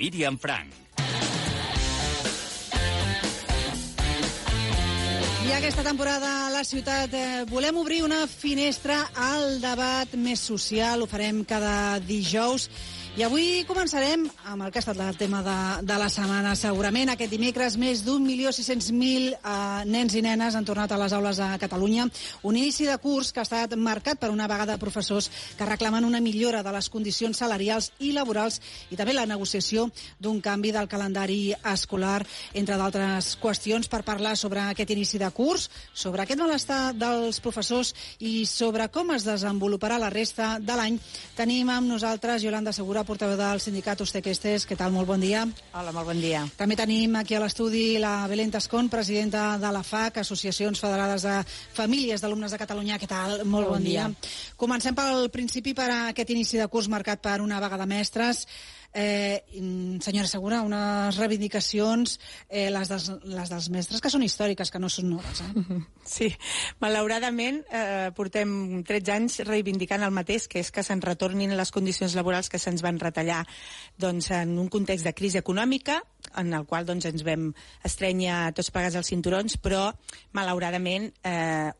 Míriam Frank. I aquesta temporada a la ciutat volem obrir una finestra al debat més social. Ho farem cada dijous. I avui començarem amb el que ha estat el tema de la setmana. Segurament aquest dimecres més d'1.600.000 nens i nenes han tornat a les aules a Catalunya. Un inici de curs que ha estat marcat per una vaga de professors que reclamen una millora de les condicions salarials i laborals i també la negociació d'un canvi del calendari escolar, entre d'altres qüestions, per parlar sobre aquest inici de curs, sobre aquest malestar dels professors i sobre com es desenvoluparà la resta de l'any. Tenim amb nosaltres Yolanda Segura, portaveu del sindicat Ustequestes. Què tal? Molt bon dia. Hola, molt bon dia. També tenim aquí a l'estudi la Belén Tascón, presidenta de la FAC, Associacions Federades de Famílies d'Alumnes de Catalunya. Què tal? Molt bon dia. Comencem pel principi, per aquest inici de curs marcat per una vaga de mestres. Senyora Segura, unes reivindicacions, les dels mestres, que són històriques, que no són noves. Sí, malauradament portem 13 anys reivindicant el mateix, que és que se'n retornin les condicions laborals que se'ns van retallar en un context de crisi econòmica, en el qual ens vam estrènyer tots plegats els cinturons, però malauradament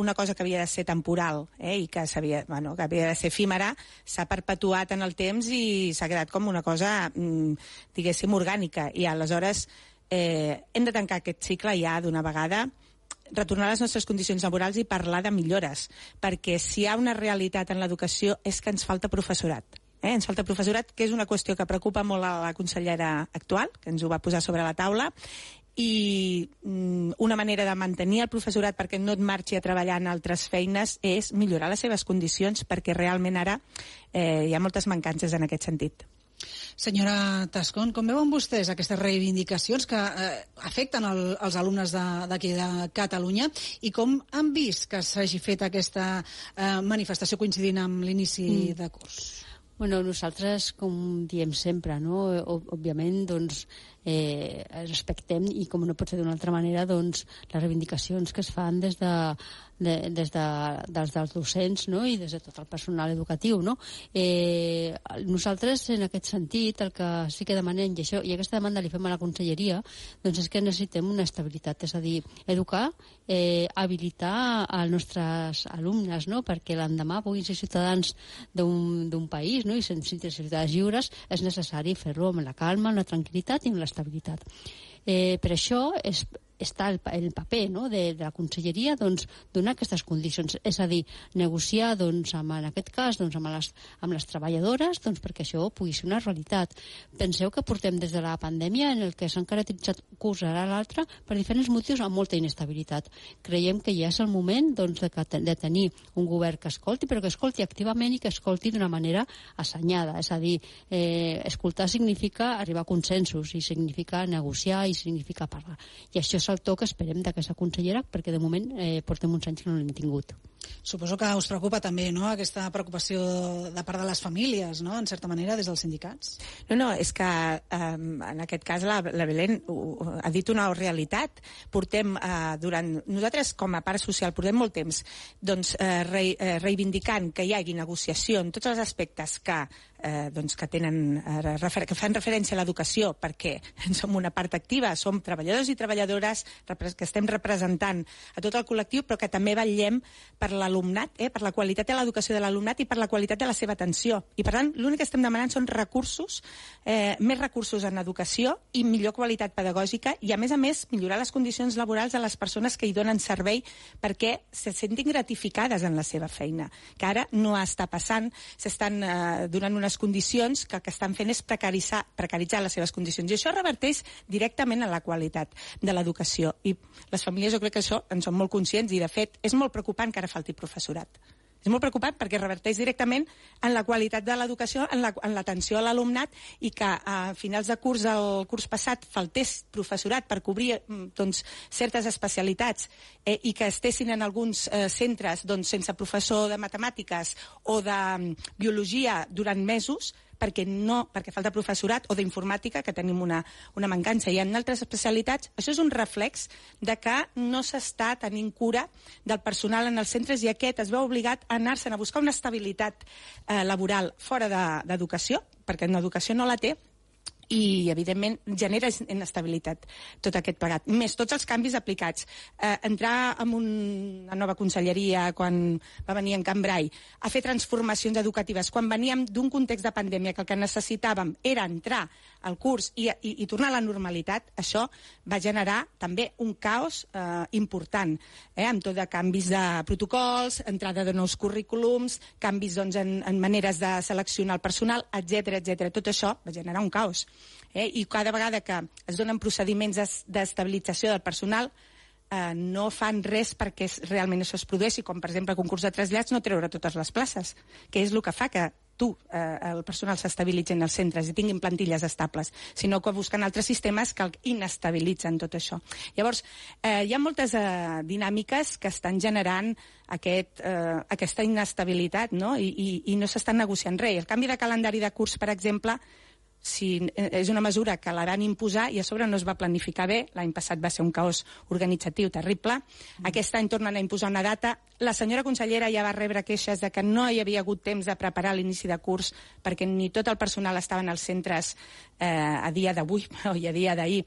una cosa que havia de ser temporal i que havia de ser efímera s'ha perpetuat en el temps i s'ha quedat com una cosa, diguéssim, orgànica. I aleshores hem de tancar aquest cicle ja d'una vegada, retornar a les nostres condicions laborals i parlar de millores, perquè si hi ha una realitat en l'educació és que ens falta professorat. Ens falta professorat, que és una qüestió que preocupa molt a la consellera actual, que ens ho va posar sobre la taula, i una manera de mantenir el professorat perquè no et marxi a treballar en altres feines és millorar les seves condicions, perquè realment ara hi ha moltes mancances en aquest sentit. Senyora Tascón, com veuen vostès aquestes reivindicacions que afecten els alumnes d'aquí de Catalunya i com han vist que s'hagi fet aquesta manifestació coincidint amb l'inici de curs? Bueno, nosaltres, com diem sempre, no? Òbviament, respectem, i com no pot ser d'una altra manera, les reivindicacions que es fan des dels docents, no? I des de tot el personal educatiu, no? Nosaltres, en aquest sentit, el que sí que demanem, i aquesta demanda li fem a la conselleria, és que necessitem una estabilitat, és a dir, educar, habilitar els nostres alumnes, no? Perquè l'endemà puguin ser ciutadans d'un país, no? I ser ciutadans lliures, és necessari fer-ho amb la calma, amb la tranquil·litat i amb l'estabilitat. Per això està el paper, no? de la conselleria, donar aquestes condicions, és a dir, negociar en aquest cas amb les treballadores perquè això pugui ser una realitat. Penseu que portem des de la pandèmia en el que s'han caracteritzat curs a l'altre per diferents motius amb molta inestabilitat. Creiem que ja és el moment de tenir un govern que escolti, però que escolti activament i que escolti d'una manera assenyada, és a dir, escoltar significa arribar a consensos i significa negociar i significa parlar, i això és el to que esperem d'aquesta consellera, perquè de moment portem uns anys que no l'hem tingut. Suposo que us preocupa també, no?, aquesta preocupació de part de les famílies, no?, en certa manera, des dels sindicats. No, és que en aquest cas la Belén ha dit una realitat. Nosaltres, com a part social, portem molt temps reivindicant que hi hagi negociació en tots els aspectes que fan referència a l'educació, perquè som una part activa, som treballadors i treballadores que estem representant a tot el col·lectiu, però que també vetllem per l'alumnat, per la qualitat de l'educació de l'alumnat i per la qualitat de la seva atenció. I per tant, l'únic que estem demanant són recursos, més recursos en educació i millor qualitat pedagògica i, a més, millorar les condicions laborals de les persones que hi donen servei perquè se sentin gratificades en la seva feina, que ara no està passant, s'estan donant unes condicions que estan fent és precaritzar les seves condicions. I això reverteix directament en la qualitat de l'educació. I les famílies, jo crec que això en són molt conscients i, de fet, és molt preocupant que ara falti professorat. És molt preocupant perquè reverteix directament en la qualitat de l'educació, en l'atenció a l'alumnat, i que a finals de curs, el curs passat, faltés professorat per cobrir certes especialitats i que estessin en alguns centres sense professor de matemàtiques o de biologia durant mesos, perquè falta professorat, o d'informàtica, que tenim una mancança. I en altres especialitats, això és un reflex de que no s'està tenint cura del personal en els centres, i aquest es veu obligat a anar-se'n a buscar una estabilitat laboral fora d'educació, perquè en educació no la té, i evidentment genera inestabilitat tot aquest plegat. Més tots els canvis aplicats. Entrar en una nova conselleria quan va venir en Cambrai a fer transformacions educatives, quan veníem d'un context de pandèmia que el que necessitàvem era entrar al curs i tornar a la normalitat, això va generar també un caos important, amb tot de canvis de protocols, entrada de nous currículums, canvis en maneres de seleccionar el personal, etc. Tot això va generar un caos. I cada vegada que es donen procediments d'estabilització del personal no fan res perquè realment això es produeixi, com per exemple el concurs de trasllats no treure totes les places, que és el que fa que el personal s'estabilitzi en els centres i tinguin plantilles estables, sinó que busquen altres sistemes que inestabilitzen tot això. Llavors, hi ha moltes dinàmiques que estan generant aquesta inestabilitat, no? I no s'estan negociant res. El canvi de calendari de curs, per exemple, és una mesura que la van imposar i a sobre no es va planificar bé. L'any passat va ser un caos organitzatiu terrible. Aquest any tornen a imposar una data. La senyora consellera ja va rebre queixes de que no hi havia hagut temps de preparar l'inici de curs perquè ni tot el personal estava en els centres a dia d'avui i a dia d'ahir.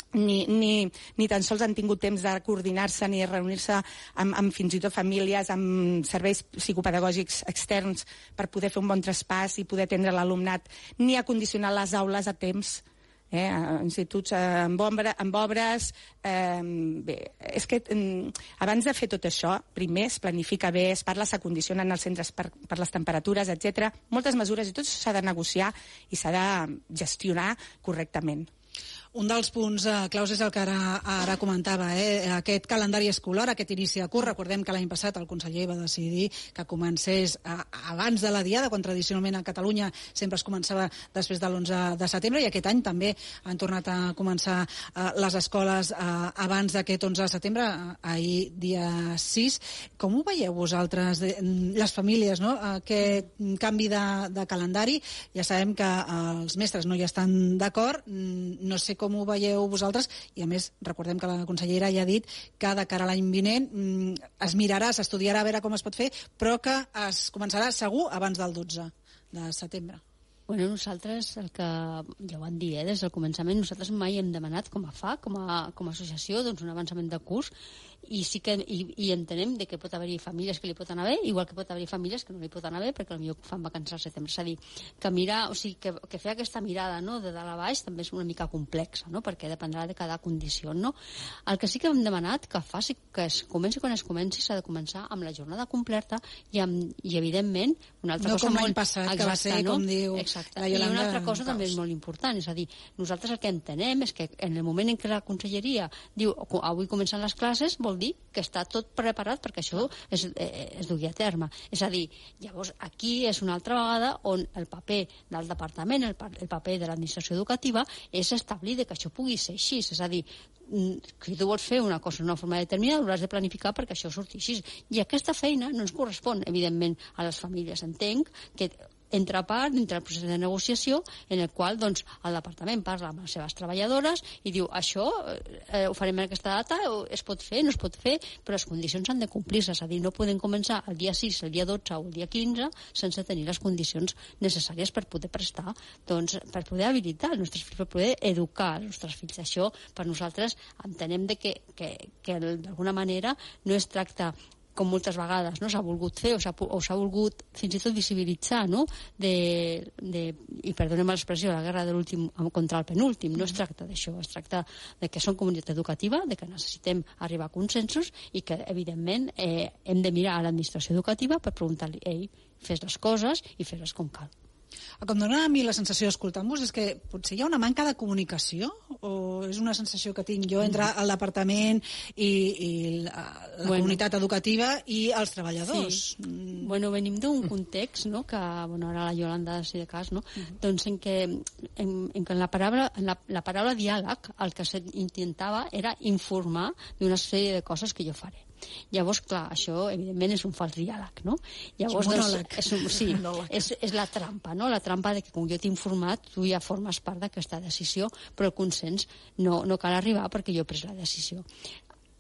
Ni tan sols han tingut temps de coordinar-se ni reunir-se amb fins i tot famílies, amb serveis psicopedagògics externs per poder fer un bon traspàs i poder atendre l'alumnat, ni acondicionar les aules a temps, instituts amb obres. Bé, és que abans de fer tot això, primer es planifica bé, es parla, s'acondicionen els centres per les temperatures, etc. Moltes mesures, i tot això s'ha de negociar i s'ha de gestionar correctament. Un dels punts claus és el que ara comentava, aquest calendari escolar, aquest inici de curs. Recordem que l'any passat el conseller va decidir que comencés abans de la Diada, quan tradicionalment a Catalunya sempre es començava després de l'11 de setembre, i aquest any també han tornat a començar les escoles abans d'aquest 11 de setembre, ahir dia 6. Com ho veieu vosaltres, les famílies, no? Aquest canvi de calendari? Ja sabem que els mestres no hi estan d'acord, no sé com ho veieu vosaltres, i a més recordem que la consellera ja ha dit que de cara a l'any vinent es mirarà, s'estudiarà a veure com es pot fer, però que es començarà segur abans del 12 de setembre. Bueno, nosaltres, el que ja ho han dit des del començament, nosaltres mai hem demanat com a FA, com a associació, doncs un avançament de curs, i sí que entenem que pot haver-hi famílies que li pot anar bé, igual que pot haver-hi famílies que no li pot anar bé perquè potser fan vacances al setembre. És a dir, que mirar, o sigui, que fer aquesta mirada, no, de dalt a baix també és una mica complexa, no, perquè dependrà de cada condició, no. El que sí que hem demanat que faci, que es comenci quan es comenci, s'ha de començar amb la jornada completa i evidentment una altra cosa molt... No com l'any passat, que va ser, com diu la Yolanda... I una altra cosa també és molt important, és a dir, nosaltres el que entenem és que en el moment en què la conselleria diu avui comencen les classes, vol dir que està tot preparat perquè això es dugui a terme. És a dir, llavors aquí és una altra vegada on el paper del departament, el paper de l'administració educativa és establir que això pugui ser així. És a dir, si tu vols fer una cosa d'una forma determinada, hauràs de planificar perquè això surti així. I aquesta feina no ens correspon, evidentment, a les famílies. Entenc que entra el procés de negociació en el qual doncs, el departament parla amb les seves treballadores i diu això ho farem en aquesta data, es pot fer, no es pot fer, però les condicions han de complir-se, és a dir, no podem començar el dia 6, el dia 12 o el dia 15 sense tenir les condicions necessàries per poder prestar, doncs, per poder habilitar els nostres fills, per poder educar els nostres fills. Això per nosaltres entenem que d'alguna manera no es tracta com moltes vegades no s'ha volgut fer o s'ha volgut fins i tot visibilitzar, no? I perdonem l'expressió, la guerra de l'últim contra el penúltim. No es tracta d'això, es tracta de que som comunitat educativa, de que necessitem arribar a consensos i que, evidentment, hem de mirar a l'administració educativa per preguntar-li, ei, fes les coses i fes-les com cal. El que em dona a mi la sensació escoltant-vos és que potser hi ha una manca de comunicació, o és una sensació que tinc jo entre el departament i la comunitat educativa i els treballadors. Sí. Bueno, venim d'un context, no?, que, bueno, ara la Yolanda, si de cas, no?, doncs en què la paraula diàleg el que s'intentava era informar d'una sèrie de coses que jo faré. Llavors, clar, això evidentment és un fals diàleg, no? Llavors, és la trampa, no? La trampa de que com jo t'he informat, tu ja formes part d'aquesta decisió, però el consens no cal arribar perquè jo he pres la decisió.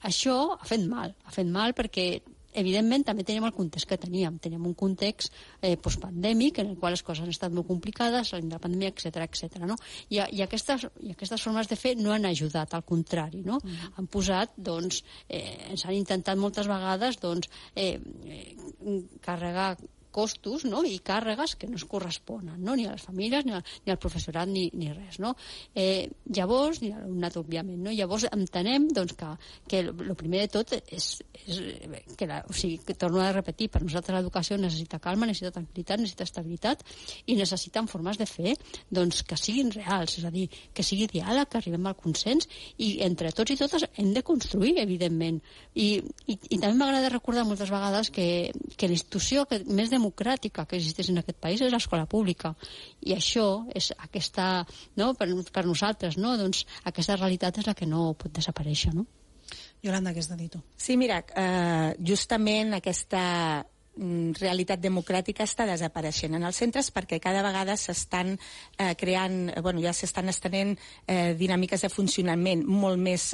Això ha fet mal perquè evidentment, també teníem el context que teníem. Teníem un context postpandèmic en el qual les coses han estat molt complicades, la pandèmia, etc. No? I aquestes formes de fer no han ajudat, al contrari. No? Han posat, doncs, ens han intentat moltes vegades carregar costos, no? I càrregues que no es corresponen, no? Ni a les famílies, ni al professorat, ni res. No? Llavors, ni a l'alumnat, òbviament. No? Llavors entenem doncs, que el primer de tot és que torno a repetir, per nosaltres l'educació necessita calma, necessita tranquil·litat, necessita estabilitat i necessiten formes de fer doncs, que siguin reals, és a dir, que sigui diàleg, que arribem al consens i entre tots i totes hem de construir, evidentment. I també m'agrada recordar moltes vegades que la institució més democràtica que existeix en aquest país és l'escola pública. I això és aquesta, no? per nosaltres, no? Doncs aquesta realitat és la que no pot desaparèixer, no? Yolanda, què has de dir tu? Sí, mira, justament aquesta realitat democràtica està desapareixent en els centres perquè cada vegada s'estan creant, ja s'estan estenent dinàmiques de funcionament molt més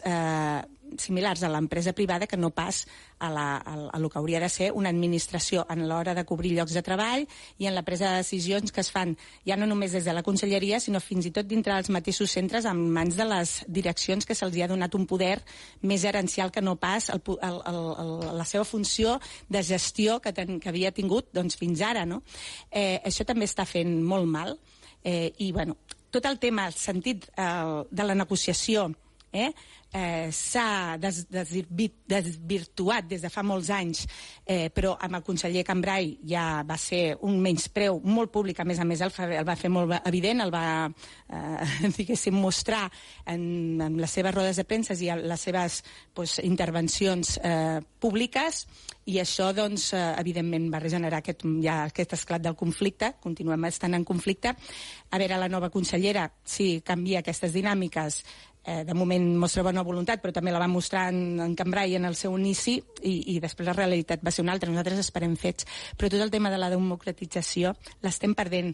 similars a l'empresa privada que no pas a lo que hauria de ser una administració en l'hora de cobrir llocs de treball i en la presa de decisions que es fan ja no només des de la conselleria sinó fins i tot dintre dels mateixos centres en mans de les direccions que se'ls ha donat un poder més gerencial que no pas la seva funció de gestió que havia tingut doncs, fins ara. No? Això també està fent molt mal i tot el tema, el sentit de la negociació s'ha desvirtuat des de fa molts anys, però amb el conseller Cambray ja va ser un menyspreu molt públic, a més el va fer molt evident, el va mostrar en les seves rodes de premsa i les seves intervencions públiques, i això evidentment va generar aquest esclat del conflicte. Continuem estant en conflicte. A veure, la nova consellera, si canvia aquestes dinàmiques, de moment mostra bona voluntat, però també la va mostrar en Cambray en el seu inici i després la realitat va ser una altra. Nosaltres esperem fets, però tot el tema de la democratització l'estem perdent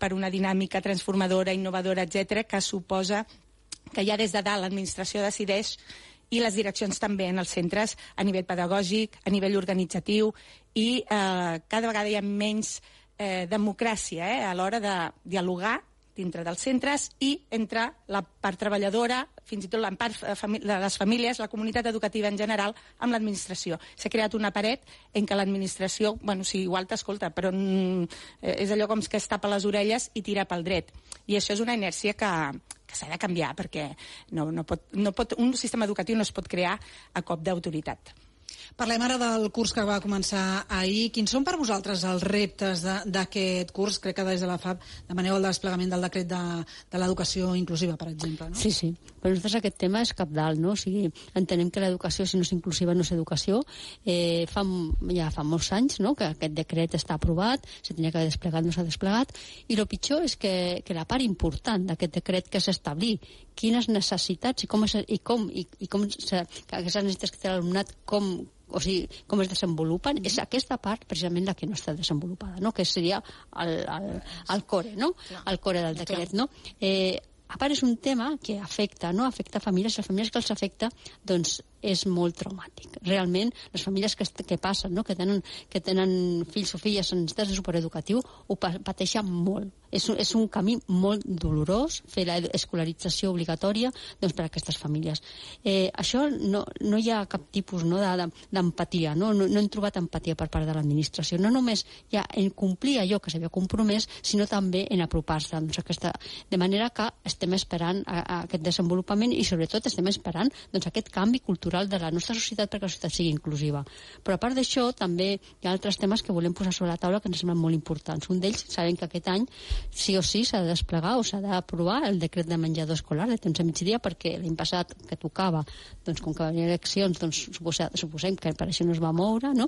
per una dinàmica transformadora, innovadora, etc., que suposa que ja des de dalt l'administració decideix i les direccions també en els centres a nivell pedagògic, a nivell organitzatiu i cada vegada hi ha menys democràcia a l'hora de dialogar dintre dels centres i entre la part treballadora, fins i tot la part de les famílies, la comunitat educativa en general, amb l'administració. S'ha creat una paret en què l'administració, igual t'escolta, però és allò com que es tapa les orelles i tira pel dret. I això és una inèrcia que s'ha de canviar, perquè un sistema educatiu no es pot crear a cop d'autoritat. Parlem ara del curs que va començar ahir. Quins són per vosaltres els reptes d'aquest curs? Crec que des de la FAB demaneu el desplegament del decret de l'educació inclusiva, per exemple, no? Sí. Per nosaltres aquest tema és cabdal, no? O sigui, entenem que l'educació, si no és inclusiva, no és educació. Ja fa molts anys, no?, que aquest decret està aprovat, se tenia que haver desplegat, no s'ha desplegat, i el pitjor és que la part important d'aquest decret que és establir quines necessitats i com aquestes necessitats que té l'alumnat, com es desenvolupen, és aquesta part precisament la que no està desenvolupada, no? Que seria el core, no? El core del decret, no? A part, és un tema que afecta famílies, les famílies que els afecta, doncs és molt traumàtic. Realment, les famílies que passen, no?, que tenen fills o filles en necessitats de supereducatiu, ho pateixen molt. És un camí molt dolorós fer l'escolarització obligatòria doncs, per a aquestes famílies. Això no hi ha cap tipus d'empatia, no hem trobat empatia per part de l'administració. No només ja en complir allò que s'havia compromès, sinó també en apropar-se. Doncs de manera que estem esperant aquest desenvolupament i sobretot estem esperant aquest canvi cultural de la nostra societat perquè la societat sigui inclusiva. Però a part d'això també hi ha altres temes que volem posar sobre la taula que ens semblen molt importants. Un d'ells, sabem que aquest any sí o sí s'ha de desplegar o s'ha d'aprovar el decret de menjador escolar de temps a migdia, perquè l'any passat que tocava, doncs com que venien eleccions, doncs suposem que per això no es va moure, no?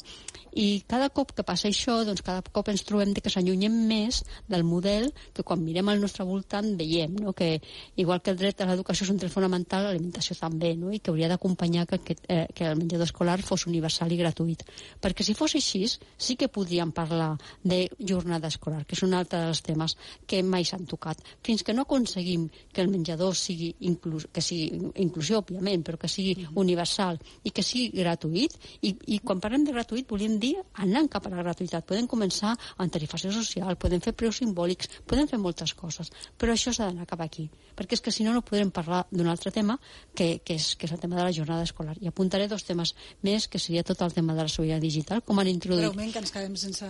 I cada cop que passa això, doncs cada cop ens trobem que s'allunyem més del model que quan mirem al nostre voltant veiem, no? Que igual que el dret a l'educació és un dret fonamental, l'alimentació també, no? I que hauria d'acompanyar que el menjador escolar fos universal i gratuït. Perquè si fos així, sí que podríem parlar de jornada escolar, que és un altre dels temes. que mai s'han tocat. Fins que no aconseguim que el menjador sigui inclusió, òbviament, però que sigui universal i que sigui gratuït, i quan parlem de gratuït volem dir anant cap a la gratuïtat. Podem començar amb tarifació social, podem fer preus simbòlics, podem fer moltes coses, però això s'ha d'anar cap aquí, perquè és que si no no podrem parlar d'un altre tema que és el tema de la jornada escolar. I apuntaré 2 temes més, que seria tot el tema de la sobirania digital, com han introduït... Breument, que ens quedem sense...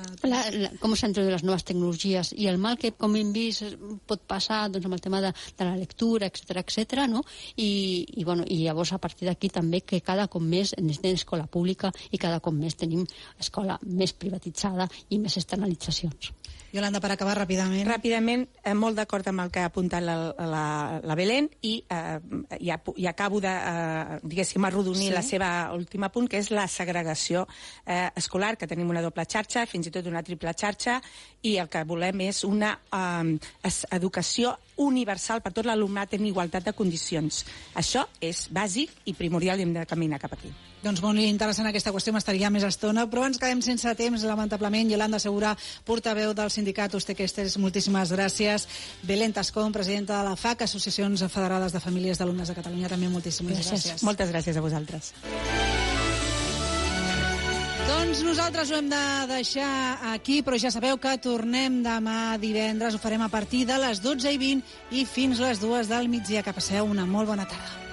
com s'han introduït les noves tecnologies i el mal que, com hem vist, pot passar doncs, amb el tema de la lectura, etc., no? I llavors a partir d'aquí també que cada cop més necessitem escola pública i cada cop més tenim escola més privatitzada i més externalitzacions. Yolanda, per acabar ràpidament. Ràpidament, molt d'acord amb el que ha apuntat la Belén i acabo de, diguéssim, arrodonir la seva última punt, que és la segregació escolar, que tenim una doble xarxa, fins i tot una triple xarxa, i el que volem és una educació universal per tot l'alumnat en igualtat de condicions. Això és bàsic i primordial i hem de caminar cap aquí. Doncs molt interessant aquesta qüestió, m'estaria més estona, però ens quedem sense temps, lamentablement. Yolanda Segura, portaveu del sindicat Ustequestes, moltíssimes gràcies. Belén Tascón, presidenta de la FAC, Associacions Federades de Famílies d'Alumnes de Catalunya, també moltíssimes gràcies. Moltes gràcies a vosaltres. Doncs nosaltres ho hem de deixar aquí, però ja sabeu que tornem demà divendres. Ho farem a partir de les 12:20 i fins les 2 del migdia. Que passeu una molt bona tarda.